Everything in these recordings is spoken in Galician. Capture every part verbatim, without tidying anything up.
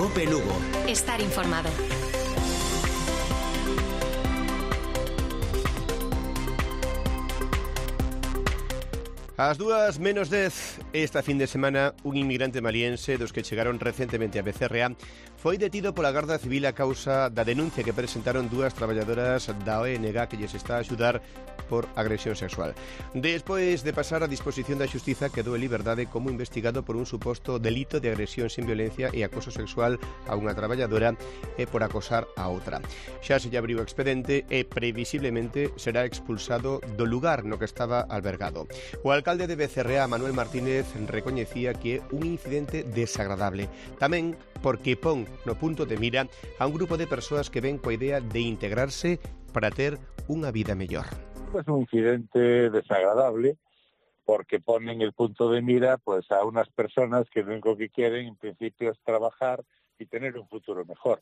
COPE Lugo. Estar informado. Ás dúas menos dez, esta fin de semana, un inmigrante maliense dos que chegaron recentemente a Becerra foi detido pola Garda Civil a causa da denuncia que presentaron dúas traballadoras da O N G que lles está a axudar por agresión sexual. Despois de pasar a disposición da xustiza, quedou en liberdade como investigado por un suposto delito de agresión sin violencia e acoso sexual a unha traballadora e por acosar a outra. Xa se lle abriu o expedente e previsiblemente será expulsado do lugar no que estaba albergado. O alcalde de Becerra, Manuel Martínez, recoñecía que é un incidente desagradable. Tamén porque pon no punto de mira a un grupo de persoas que ven coa idea de integrarse para ter unha vida mellor. Es un incidente desagradable porque ponen el punto de mira pues a unas personas que lo único que quieren en principio es trabajar y tener un futuro mejor.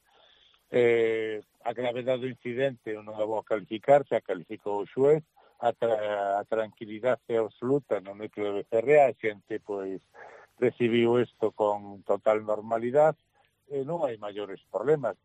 Eh, a gravedade do incidente non a vou calificar, xa calificou o xuez, a, tra a tranquilidade absoluta no núcleo de Becerra, a xente pois recibiu isto con total normalidade e non hai maiores problemas.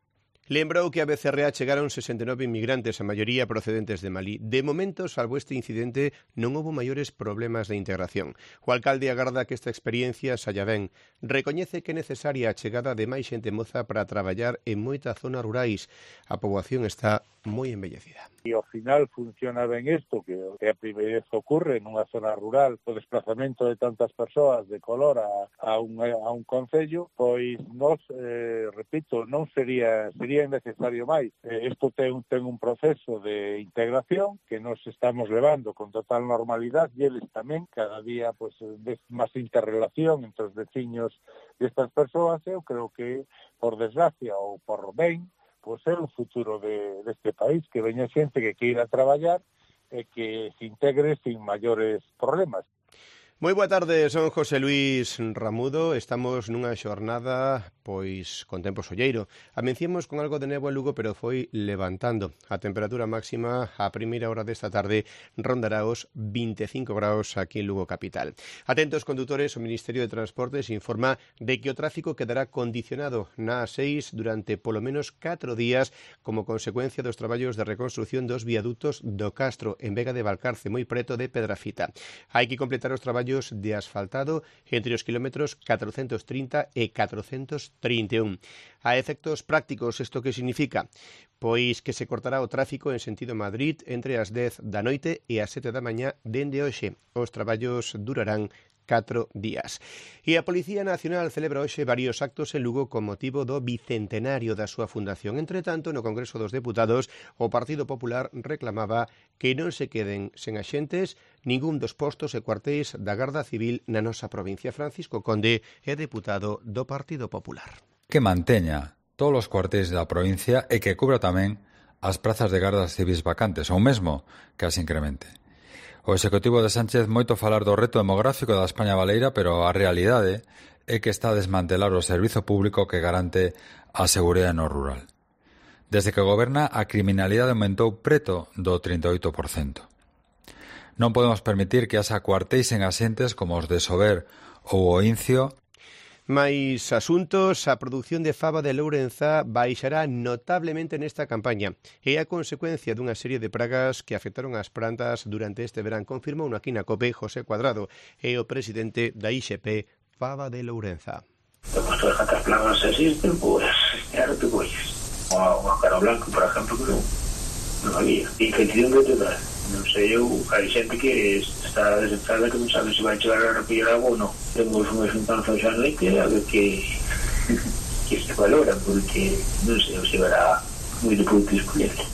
Lembrou que a Becerra chegaron sesenta e nove inmigrantes, a maioría procedentes de Malí. De momento, salvo este incidente, non houbo maiores problemas de integración. O alcalde agarda que esta experiencia saia ben. Recoñece que é necesaria a chegada de máis xente moza para traballar en moitas zonas rurais. A poboación está moi envellecida. E ao final funciona ben isto, que é a primeira vez que ocurre nunha zona rural, o desplazamento de tantas persoas de color a, a, un, a un concello, pois nos, eh, repito, non sería sería necesario máis. Eh, isto ten, ten un proceso de integración que nos estamos levando con total normalidade e eles tamén, cada día pues, ves máis interrelación entre os veciños destas persoas. Eu creo que, por desgracia ou por ben, pois é o futuro de, deste país, que veña xente que queira traballar e que se integre sin maiores problemas. Moi boa tarde, son José Luis Ramudo. Estamos nunha xornada pois con tempo solleiro. Amencemos con algo de néboa en Lugo, pero foi levantando. A temperatura máxima a primeira hora desta tarde rondará os vinte e cinco graus aquí en Lugo capital. Atentos condutores, o Ministerio de Transportes informa de que o tráfico quedará condicionado na A seis durante polo menos catro días como consecuencia dos traballos de reconstrucción dos viadutos do Castro en Vega de Valcarce, moi preto de Pedrafita. Hai que completar os traballos de asfaltado entre os kilómetros catrocentos trinta e catrocentos trinta e un. A efectos prácticos, isto que significa? Pois que se cortará o tráfico en sentido Madrid entre as dez da noite e as sete da mañá dende hoxe. Os traballos durarán catro días. E a Policía Nacional celebra hoxe varios actos en Lugo con motivo do bicentenario da súa fundación. Entre tanto, no Congreso dos Deputados, o Partido Popular reclamaba que non se queden sen axentes ningún dos postos e cuartéis da Garda Civil na nosa provincia. Francisco Conde é deputado do Partido Popular. Que manteña todos os cuartéis da provincia e que cubra tamén as prazas de gardas civis vacantes, ou mesmo que as incremente. O Executivo de Sánchez moito falar do reto demográfico da España baleira, pero a realidade é que está a desmantelar o servizo público que garante a seguridade no rural. Desde que goberna, a criminalidade aumentou preto do trinta e oito por cento. Non podemos permitir que haxa cuartéis en asentes como os de Sober ou o Incio. Mais asuntos, a produción de fava de Lourenza baixará notablemente nesta campaña. É a consecuencia dunha serie de pragas que afectaron as plantas durante este verán, confirmou aquí na COPE José Cuadrado, é o presidente da I X P Fava de Lourenza. Pues todas estas plagas existen, pues claro que pues. O a cara blanco, por exemplo, que non, non había. Incertidumbre total. Non sei eu, hai xente que está desesperada que non sabe se vai chegar a recollir agua ou non. Temos unha xuntanza xa noite a ver que, que se valora, porque non sei se verá moi de pouco escolher.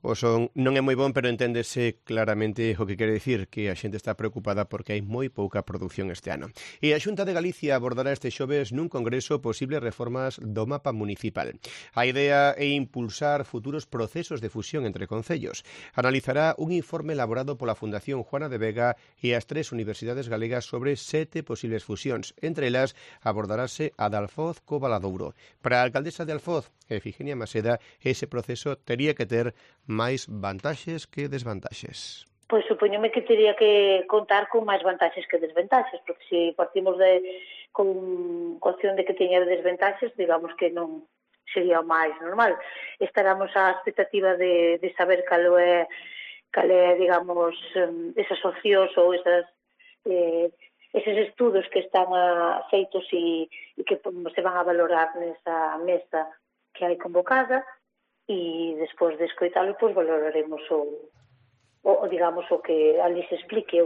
O son non é moi bon, pero enténdese claramente o que quere dicir, que a xente está preocupada porque hai moi pouca produción este ano. E a Xunta de Galicia abordará este xoves nun congreso posibles reformas do mapa municipal. A idea é impulsar futuros procesos de fusión entre concellos. Analizará un informe elaborado pola Fundación Juana de Vega e as tres universidades galegas sobre sete posibles fusións. Entre elas abordarase a de Alfoz co Valadouro. Para a alcaldesa de Alfoz, Efigenia Maseda, ese proceso tería que ter máis vantaxes que desvantaxes. Pois supoñome que teria que contar con máis vantaxes que desventaxes, porque se partimos de con cuestión de que teña desventaxes, digamos que non sería o máis normal. Estaramos á expectativa de, de saber cal é, cal é, digamos, esas opcións ou esas, eh, eses estudos que están a, feitos e, e que se van a valorar nesa mesa que hai convocada, e despois de escoitalo, pois valoraremos o o, digamos, o que ali se explique.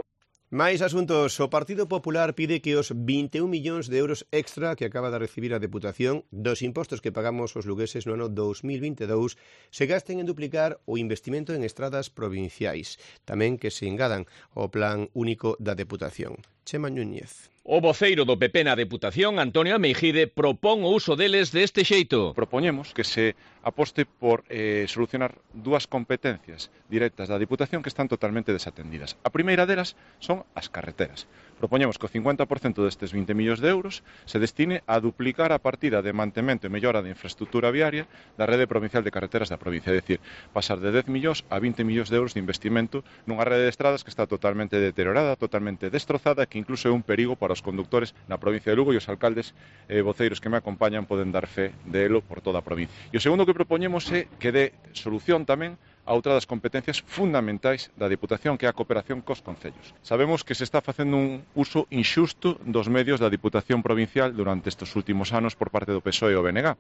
Máis asuntos. O Partido Popular pide que os vinte e un millóns de euros extra que acaba de recibir a Deputación dos impostos que pagamos os lugueses no ano dos mil vinte e dous se gasten en duplicar o investimento en estradas provinciais. Tamén que se engadan ao Plan Único da Deputación. Chema Núñez. O voceiro do P P na Deputación, Antonio Ameijide, propón o uso deles deste xeito. Propoñemos que se aposte por eh, solucionar dúas competencias directas da Deputación que están totalmente desatendidas. A primeira delas son as carreteras. Propoñemos que o cincuenta por cento destes vinte millóns de euros se destine a duplicar a partida de mantemento e mellora de infraestructura viaria da rede provincial de carreteras da provincia, é dicir, pasar de dez millóns a vinte millóns de euros de investimento nunha rede de estradas que está totalmente deteriorada, totalmente destrozada, que incluso é un perigo para os conductores na provincia de Lugo, e os alcaldes e eh, voceiros que me acompañan poden dar fe de elo por toda a provincia. E o segundo que propoñemos é que dé solución tamén a outra das competencias fundamentais da Deputación, que é a cooperación cos concellos. Sabemos que se está facendo un uso inxusto dos medios da Deputación provincial durante estes últimos anos por parte do P S O E e o B N G.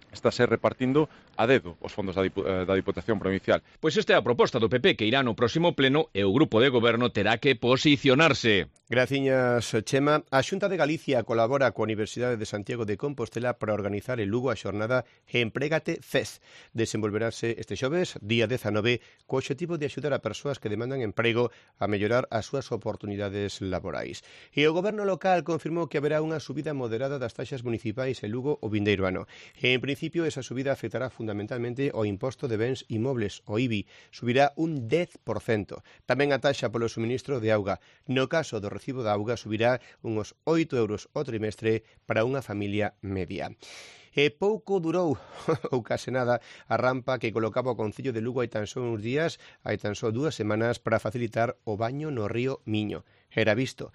Estáse repartindo a dedo os fondos da, Dipu da Diputación Provincial. Pois esta é a proposta do P P que irá no próximo pleno e o grupo de goberno terá que posicionarse. Graciñas, Chema. A Xunta de Galicia colabora coa Universidade de Santiago de Compostela para organizar en Lugo a xornada Emprégate Fez. Desenvolverase este xoves, día dezanove, co obxectivo de axudar a persoas que demandan emprego a mellorar as súas oportunidades laborais. E o goberno local confirmou que haberá unha subida moderada das taxas municipais en Lugo o vindeiro ano. En principio, esa subida afectará fundamentalmente o imposto de bens inmobles, o I B I. Subirá un dez por cento. Tamén a taxa polo suministro de auga. No caso do recibo da auga subirá uns oito euros o trimestre para unha familia media. E pouco durou, ou case nada, a rampa que colocaba o Concello de Lugo hai tan só uns días, hai tan só dúas semanas, para facilitar o baño no río Miño. Era visto.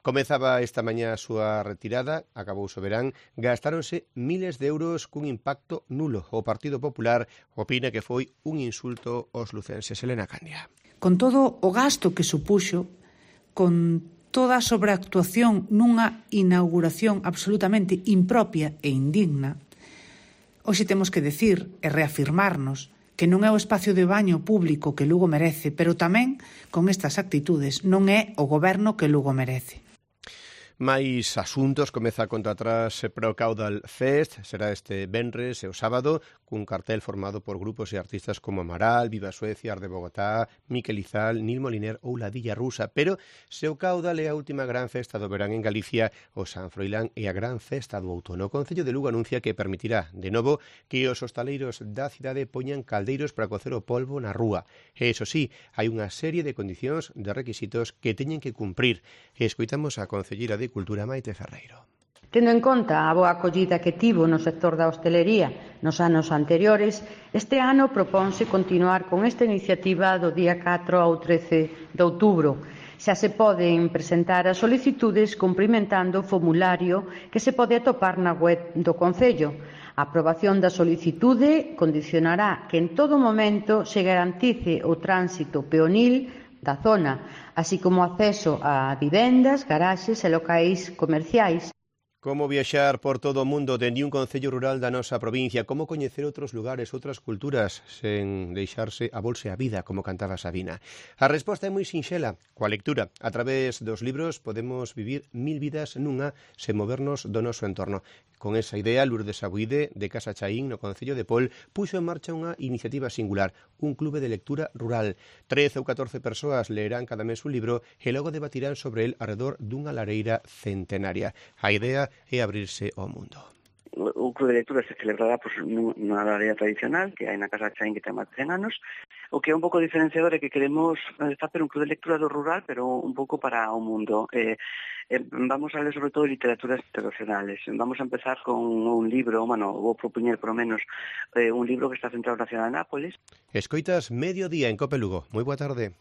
Comezaba esta mañá a súa retirada, acabou o verán, gastáronse miles de euros cun impacto nulo. O Partido Popular opina que foi un insulto aos lucenses. Elena Candia. Con todo o gasto que supuxo, con toda a sobreactuación nunha inauguración absolutamente impropia e indigna, hoxe temos que decir e reafirmarnos que non é o espacio de baño público que Lugo merece, pero tamén, con estas actitudes, non é o goberno que Lugo merece. Máis asuntos. Comeza a conta atrás para o Caudal Fest. Será este venres e o sábado, cun cartel formado por grupos e artistas como Amaral, Viva Suecia, Arde Bogotá, Miquel Izal, Nil Moliner ou Ladilla Rusa. Pero se o Caudal é a última gran festa do verán en Galicia, o San Froilán é a gran festa do outono. O Concello de Lugo anuncia que permitirá, de novo, que os hostaleiros da cidade poñan caldeiros para cocer o polvo na rúa. E, iso sí, hai unha serie de condicións, de requisitos que teñen que cumprir. E escoitamos a concelleira de Cultura, Maite Ferreiro. Tendo en conta a boa acollida que tivo no sector da hostelería nos anos anteriores, este ano proponse continuar con esta iniciativa do día catro ao trece de outubro. Xa se poden presentar as solicitudes cumprimentando o formulario que se pode atopar na web do Concello. A aprobación da solicitude condicionará que en todo momento se garantice o tránsito peonil da zona, así como acceso a vivendas, garaxes e locais comerciais. Como viaxar por todo o mundo dende un concello rural da nosa provincia, como coñecer outros lugares, outras culturas, sen deixarse a bolsa e a vida, como cantaba Sabina. A resposta é moi sinxela, coa lectura. A través dos libros podemos vivir mil vidas nunha sen movernos do noso entorno. Con esa idea, Lourdes Abuide, de Casa Chaín, no concello de Pol, puxo en marcha unha iniciativa singular, un clube de lectura rural. trece ou catorce persoas leerán cada mes un libro e logo debatirán sobre el arredor dunha lareira centenaria. A idea é abrirse ao mundo. O clube de lectura se celebrará pues, nunha área tradicional que hai na Casa Chaín, que ten máis de cen anos. O que é un pouco diferenciador é que queremos facer un clube de lectura do rural, pero un pouco para o mundo. Eh, eh, vamos a ler sobre todo literaturas internacionales. Vamos a empezar con un libro, bueno, vou propoñer por lo menos eh, un libro que está centrado na cidade de Nápoles. Escoitas Mediodía en Cope Lugo. Moi boa tarde.